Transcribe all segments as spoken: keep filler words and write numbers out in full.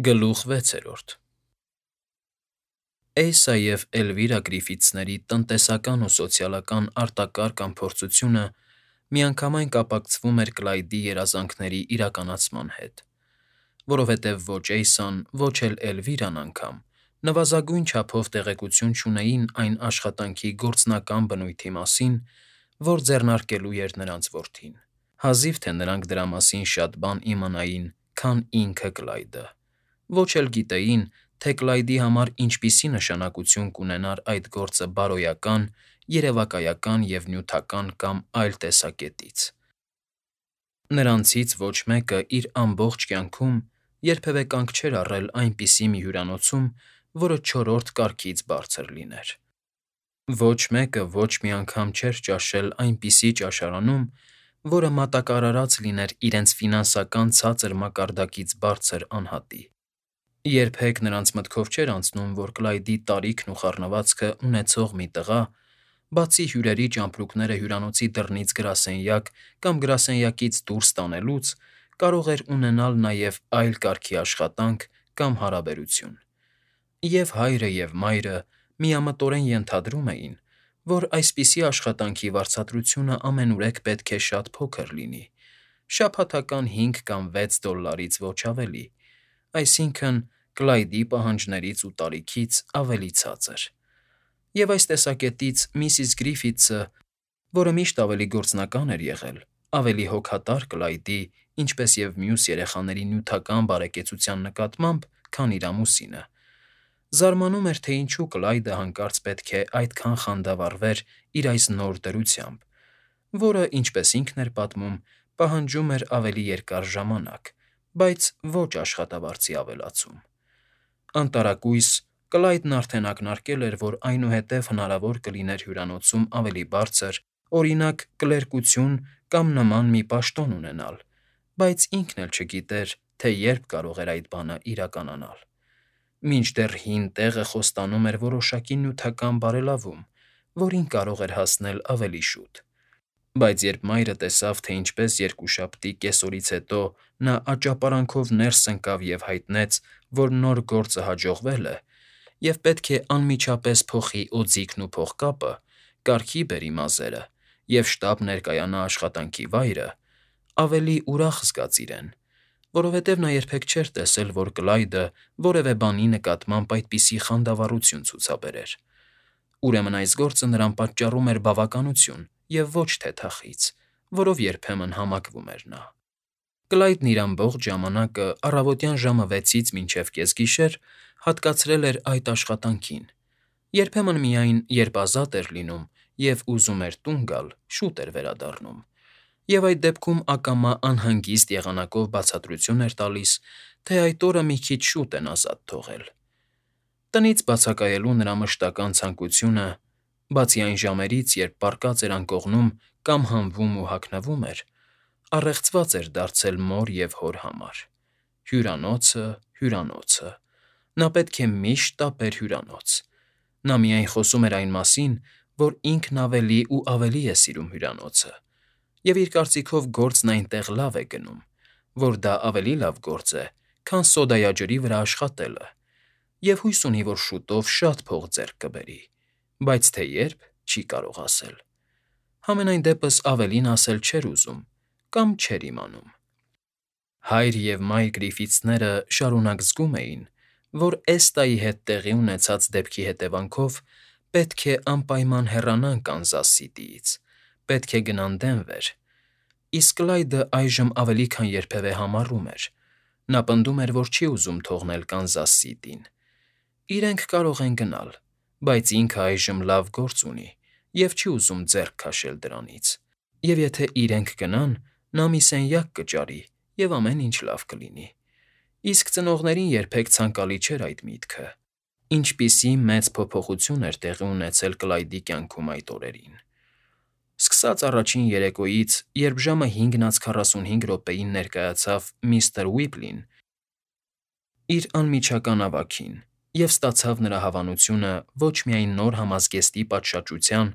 Գլուխ վեցերորդ Էյսա և Էլվիրա Գրիֆիթսների տնտեսական ու սոցիալական արտակարգ անփորձությունը միանգամայն կապակցվում էր Կլայդի երազանքների իրականացման հետ, որովհետև ոչ Էյսան, ոչ էլ Էլվիրան անգամ նվազագույն չափով տեղեկություն չունեին այն աշխատանքի գործնական բնույթի մասին, որ ձեռնարկելու էր նրանց որդին, հազիվ թե նրանք դրա մասին շատ բան իմանային, քան ինքը Կլայդը, ոչ էլ գիտեին, թե Կլայդի համար ինչպիսի նշանակություն կունենար այդ գործը բարոյական, երևակայական և նյութական կամ այլ տեսակետից։ Նրանցից ոչ մեկը իր ամբողջ կյանքում երբևէ կանգ չէր առել այնպիսի մի հյուրանոցում, որը չորրորդ կարգից բարձր լիներ։ Ոչ մեկը ոչ մի անգամ չէր ճաշել այնպիսի ճաշարանում, որը մատակարարած լիներ իրենց ֆինանսական ցածր մակարդակից բարձր անհատի։ Երբեք նրանց մտքով չէր անցնում, որ Կլայդի տարիքն ու խառնվածքը ունեցող մի տղա, բացի հյուրերի ճամպրուկները հյուրանոցի դռնից գրասենյակ կամ գրասենյակից դուրս տանելուց, կարող էր ունենալ նաև այլ կարգի աշխատանք կամ հարաբերություն։ Եվ հայրը, և մայրը միամտորեն ենթադրում էին, որ այսպիսի աշխատանքի վարձատրությունը ամենուրեք պետք է շատ փոքր լինի, շաբաթական հինգ կամ վեց դոլլարից ոչ ավելի, այսինքն՝ Կլայդի պահանջներից ու տարիքից ավելի ցածր։ Եվ այս տեսակետից միսիս Գրիֆիթսը, որը միշտ ավելի գործնական էր եղել, ավելի հոգատար Կլայդի, ինչպես և մյուս երեխաների նյութական բարեկեցության նկատմամբ, քան իր ամուսինը, զարմանում էր, թե ինչու Կլայդը հանկարծ պետք է այդքան խանդավառվեր իր այս նոր դրությամբ, որը, ինչպես ինքն էր պատմում, պահանջում էր ավելի երկար ժամանակ, բայց ոչ աշխատավարձի ավելացում։ Անտարակույս Կլայդն արդեն ակնարկել էր, որ այնուհետև հնարավոր կլիներ հյուրանոցում ավելի բարձր, օրինակ, կլերկություն կամ նման մի պաշտոն ունենալ, բայց ինքն էլ չգիտեր, թե երբ կարող էր այդ բանը իրականանալ։ Մինչդեռ հին տեղը խոստանում էր որոշակի նյութական բարելավում, որին կարող էր հասնել ավելի շուտ։ Բայց երբ մայրը տեսավ, թե ինչպես երկուշաբթի կեսօրից հետո նա աճապարանքով ներս ընկավ և հայտնեց, որ նոր գործը հաջողվել է, և պետք է անմիջապես փոխի օձիքն ու փողկապը, կարգի բերի մազերը և շտապ ներկայանա աշխատանքի վայրը, ավելի ուրախ զգաց իրեն, որովհետև նա երբեք չէր տեսել, որ Կլայդը որևէ բանի նկատմամբ այդպիսի խանդավառություն ցուցաբերեր։ Ուրեմն այս գործը նրան պատճառում էր բավականություն և ոչ թե թախիծ, որով երբեմն համակվում էր նա։ Կլայդն իր ամբողջ ժամանակը առավոտյան ժամը վեցից մինչև կեսգիշեր հատկացրել էր այդ աշխատանքին, երբեմն միայն, երբ ազատ էր լինում և ուզում էր տուն գալ, շուտ էր վերադառնում, և այդ դեպքում ակամա անհանգիստ եղանակով բացատրություն էր տալիս, թե այդ օրը մի քիչ շուտ են ազատ թողել։ Տնից բացակայելու նրա մշտական ցանկությունը, բացի այն ժամերից, երբ պառկած էր անկողնում կամ հանվում ու հագնվում էր, առեղծված էր դարձել մոր և հոր համար։ Հյուրանոցը, հյուրանոցը… Նա պետք է միշտ տապեր հյուրանոց։ Նա միայն խոսում էր այն մասին, որ ինքն ավելի ու ավելի է սիրում հյուրանոցը, և իր կարծիքով գործն այնտեղ լավ է գնում, որ դա ավելի լավ գործ է, քան սոդայաջրի վրա աշխատելը, և հույս ունի, որ շուտով շատ փող ձեռք կբերի, բայց թե երբ՝ չի կարող ասել։ Համենայն դեպս ավելին ասել չէր ուզում կամ չէր իմանում։ Հայր և մայր Գրիֆիթսները շարունակ զգում էին, որ Էստայի հետ տեղի ունեցած դեպքի հետևանքով պետք է անպայման հեռանան Կանզաս Սիթիից, պետք է գնան Դենվեր, իսկ Կլայդը այժմ ավելի քան երբևէ համառում էր. նա պնդում էր, որ չի ուզում թողնել Կանզաս Սիթիին։ Իրենք կարող են գնալ, բայց ինքը այժմ լավ գործ ունի և չի ուզում ձեռք քաշել դրանից, և եթե իրենք գնան, նա մի սենյակ կճարի, և ամեն ինչ լավ կլինի։ Իսկ ծնողներին երբեք ցանկալի չէր այդ միտքը։ Ինչպիսի մեծ փոփոխություն էր տեղի ունեցել Կլայդի կյանքում այդ օրերին։ Սկսած առաջին երեկոյից, երբ ժամը հինգն անց քառասունհինգ րոպեին ներկայացավ միստր Ուիպլին իր անմիջական ավագին և ստացավ նրա հավանությունը ոչ միայն նոր համազգեստի պատշաճության,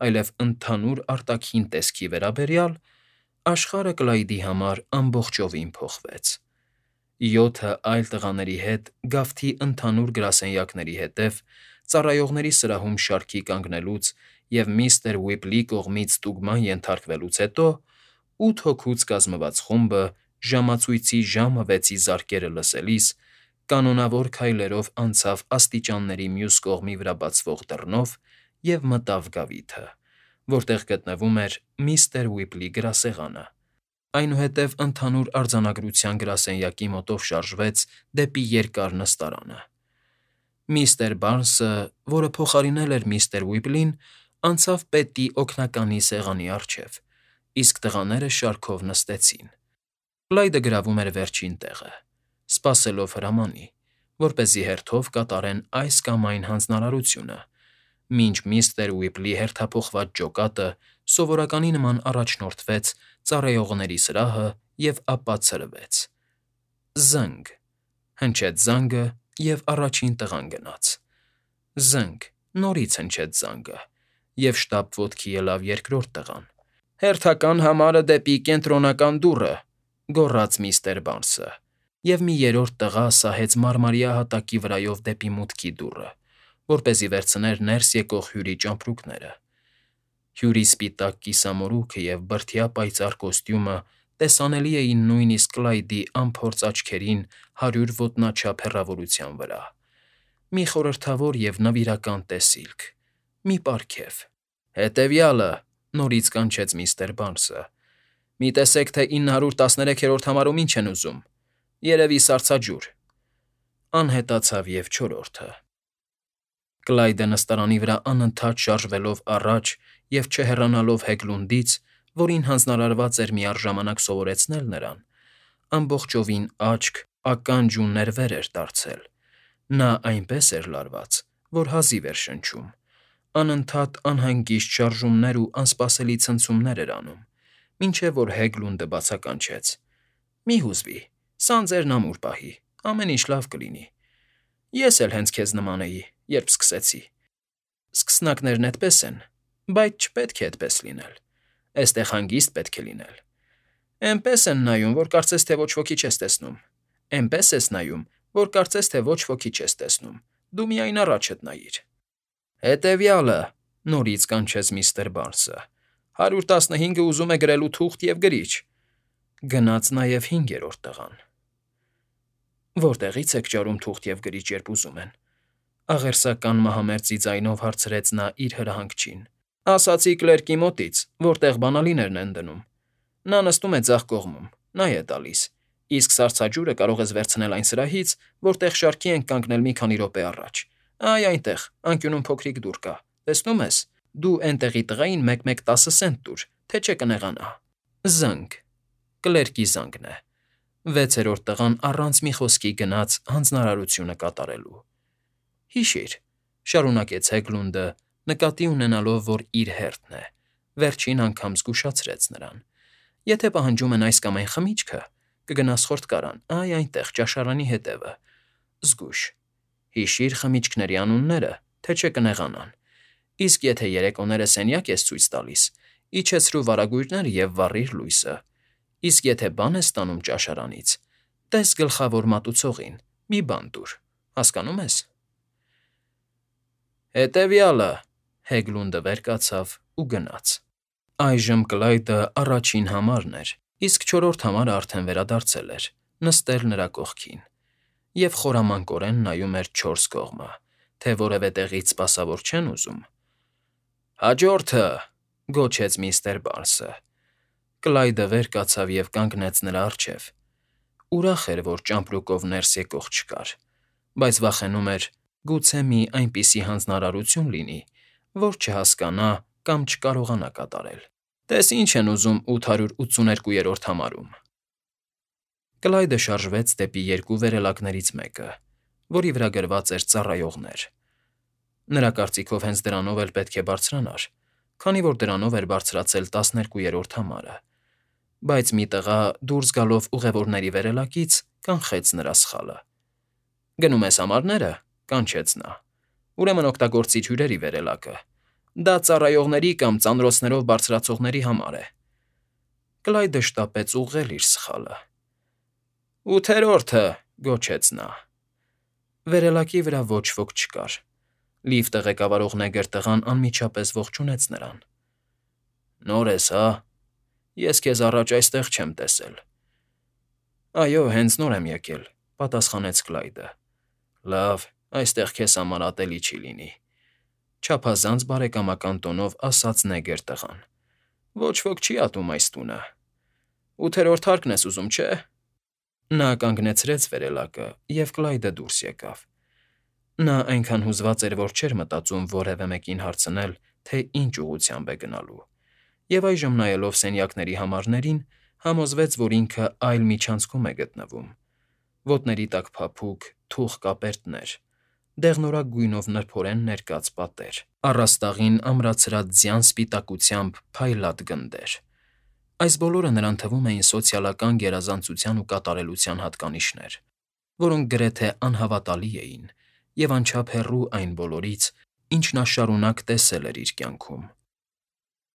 այլև ընդհանուր արտաքին տեսքի վերաբերյալ, աշխարհը Կլայդի համար ամբողջովին փոխվեց։ Յոթը այլ տղաների հետ գավթի ընդհանուր գրասենյակների հետև ծառայողների սրահում շարքի կանգնելուց և միստր Ուիպլի կողմից ստուգման ենթարկվելուց հետո ութ հոգուց կազմված խումբը ժամացույցի ժամը վեցի զարկերը լսելիս կանոնավոր քայլերով անցավ աստիճանների մյուս կողմի վրա բացվող դռնով և մտավ գավիթը, որտեղ գտնվում էր միստր Ուիպլի գրասեղանը, այնուհետև ընդհանուր արձանագրության գրասենյակի մոտով շարժվեց դեպի երկար նստարանը։ Միստր Բարնսը, որը փոխարինել էր միստր Ուիպլին, անցավ պետի օգնականի սեղանի առջև, իսկ տղաները շարքով նստեցին։ Կլայդը գրավում էր վերջին տեղը, սպասելով հրամանի, որպեսզի հերթով կատարեն այս կամ այն հանձնարարությունը, մինչ միստր Ուիպլի հերթափոխված ջոկատը սովորականի նման առաջնորդվեց ծառայողների սրահը և ապա ցրվեց։ Զը՜նգ… Հնչեց զանգը, և առաջին տղան գնաց։ Զը՜նգ… Նորից հնչեց զանգը, և շտապ ոտքի ելավ երկրորդ տղան։ «Հերթական համարը դեպի կենտրոնական դուռը», գոռաց միստր Բարնսը, և մի երրորդ տղա սահեց մարմարյա հատակի վրայով դեպի մուտքի դուռը, որպեսզի վերցներ ներս եկող հյուրի ճամպրուկները։ Հյուրի սպիտակ կիսամորուքը և բրդյա պայծառ կոստյումը տեսանելի էին նույնիսկ Կլայդի անփորձ աչքերին հարյուր ոտնաչափ հեռավորության վրա։ Մի խորհրդավոր և նվիրական տեսիլք, մի պարգև։ «Հետևյալը», նորից կանչեց միստր Բարնսը։ «Մի տեսեք, թե ինը հարյուր տասներեքերորդ համարում ինչ են ուզում։ Երևի սառցաջուր»։ Անհետացավ և չորրորդը։ Կլայդը նստարանի վրա անընդհատ շարժվելով առաջ և չհեռանալով Հեգլունդից, որին հանձնարարված էր միառժամանակ սովորեցնել նրան, ամբողջովին աչք, ականջ ու ներվեր էր դարձել։ Նա այնպես էր լարված, որ հազիվ էր շնչում, անընդհատ անհանգիստ շարժումներ ու անսպասելի ցնցումներ էր անում, մինչև որ Հեգլունդը բացականչեց. «Մի հուզվի, սան ձերն ամուր պահի, ամեն ինչ լավ կլինի։ Ես էլ հենց քեզ նման էի, երբ սկսեցի։ Սկսնակներն էդպես են, բայց չպետք է էդպես լինել, էստեղ հանգիստ պետք է լինել։ Էնպես են նայում, որ կարծես թե ոչ ոքի չես տեսնում, էնպես ես նայում, որ կարծես թե ոչ ոքի չես տեսնում, դու միայն առաջդ նայիր»։ «Հետևյալը», նորից կանչեց միստր Բարնսը, «հարյուր տասնհինգը ուզում է գրելու թուղթ և գրիչ»։ Գնաց նաև հինգերորդ տղան։ «Որտեղի՞ց եք ճարում թուղթ և գրիչ, երբ ուզում են», աղերսական մահամերձի ձայնով հարցրեց նա իր հրահանգչին։ «Ասացի կլերկի մոտից, որտեղ բանալիներն են դնում։ Նա նստում է ձախ կողմում, նա է տալիս, իսկ սառցաջուրը կարող ես վերցնել այն սրահից, որտեղ շարքի ենք կանգնել մի քանի րոպե առաջ։ Այ այնտեղ, անկյունում փոքրիկ դուռ կա, տեսնում ես։ Դու էնտեղի տղային մեկ֊մեկ տասը սենտ տուր, թե չէ կնեղանա»։ Զը՜նգ… Կլերկի զանգն է։ Վեցերորդ տղան առանց մի խոսքի գնաց հանձնարարությունը կատարելու։ «Հիշիր», շարունակեց Հեգլունդը, նկատի ունենալով, որ իր հերթն է, վերջին անգամ զգուշացրեց նրան, «եթե պահանջում են այս կամ այն խմիչքը, կգնաս խորտկարան, այ այնտեղ, ճաշարանի հետևը։ Զգույշ։ Հիշիր խմիչքների անունները, թե չէ կնեղանան։ Իսկ եթե երեկոները սենյակ ես ցույց տալիս, իջեցրու վարագույրները և վառիր լույսը։ Իսկ եթե բան ես ստանում ճաշարանից, տես գլխավոր մատուցողին, մի բան տուր, հասկանո՞ւմ ես»։ «Հետևյալը», Հեգլունդը վեր կացավ ու գնաց։ Այժմ Կլայդը առաջին համարն էր, իսկ չորրորդ համարը արդեն վերադարձել էր, նստել նրա կողքին, և խորամանկորեն նայում էր չորս կողմը, թե որևէ տեղից սպասավոր չեն ուզում։ «Հաջորդը», գոչեց միստր Բարնսը։ Կլայդը վեր կացավ և կանգնեց նրա առջև։ Ուրախ էր, որ ճամպրուկով ներս եկող չկար, բայց վախենում էր, գուցե մի այնպիսի հանձնարարություն լինի, որ չհասկանա կամ չկարողանա կատարել։ «Տես ինչ են ուզում ութ հարյուր ութսուներկուերորդ համարում»։ Կլայդը շարժվեց դեպի երկու վերելակներից մեկը, որի վրա գրված էր «Ծառայողներ»։ Նրա կարծիքով հենց դրանով էլ պետք է բարձրանար, քանի որ դրանով էր բարձրացել տասներկուերորդ համարը, բայց մի տղա, դուրս գալով ուղևորների վերելակից, կանխեց նրա սխալը։ «Գնում ես համարները», կանչեց նա։ «Ուրեմն օգտագործիր հյուրերի վերելակը։ Դա ծառայողների կամ ծանրոցներով բարձրացողների համար է»։ Կլայդը շտապեց ուղղել իր սխալը։ Ութերորդը,֊ գոչեց նա։ Վերելակի վրա ոչ ոք չկար։ Լիֆտը ղեկավարող նեգր տղան անմիջապես ողջունեց նրան։ ֊ Նոր ես, հա՞… Ես քեզ առաջ այստեղ չեմ տեսել։ ֊ Այո, հենց նոր եմ եկել,֊ պատասխանեց Կլայդը։ ֊ Լավ, այստեղ քեզ համար ատելի չի լինի,֊ չափազանց բարեկամական տոնով ասաց նեգր տղան։ ֊ Ոչ ոք չի ատում այս տունը։ Ութերորդ հարկն ես ուզում, չէ՞… Նա կանգնեցրեց վերելակը, և Կլայդը դուրս եկավ։ Նա այնքան հուզված էր, որ չէր մտածում որևէ մեկին հարցնել, թե ինչ ուղղությամբ է գնալու, և այժմ, նայելով սենյակների համարներին, համոզվեց, որ ինքը այլ միջանցքում է գտնվում. ոտների տակ փափուկ, թուխ կապերտներ, դեղնորակ գույնով նրբորեն ներկած պատեր, առաստաղին ամրացրած ձյան սպիտակությամբ փայլատ գնդեր… Այս բոլորը նրան թվում էին սոցիալական գերազանցության ու կատարելության հատկանիշներ, որոնք գրեթե անհավատալի էին և անչափ հեռու այն բոլորից, ինչ նա շարունակ տեսել էր իր կյանքում։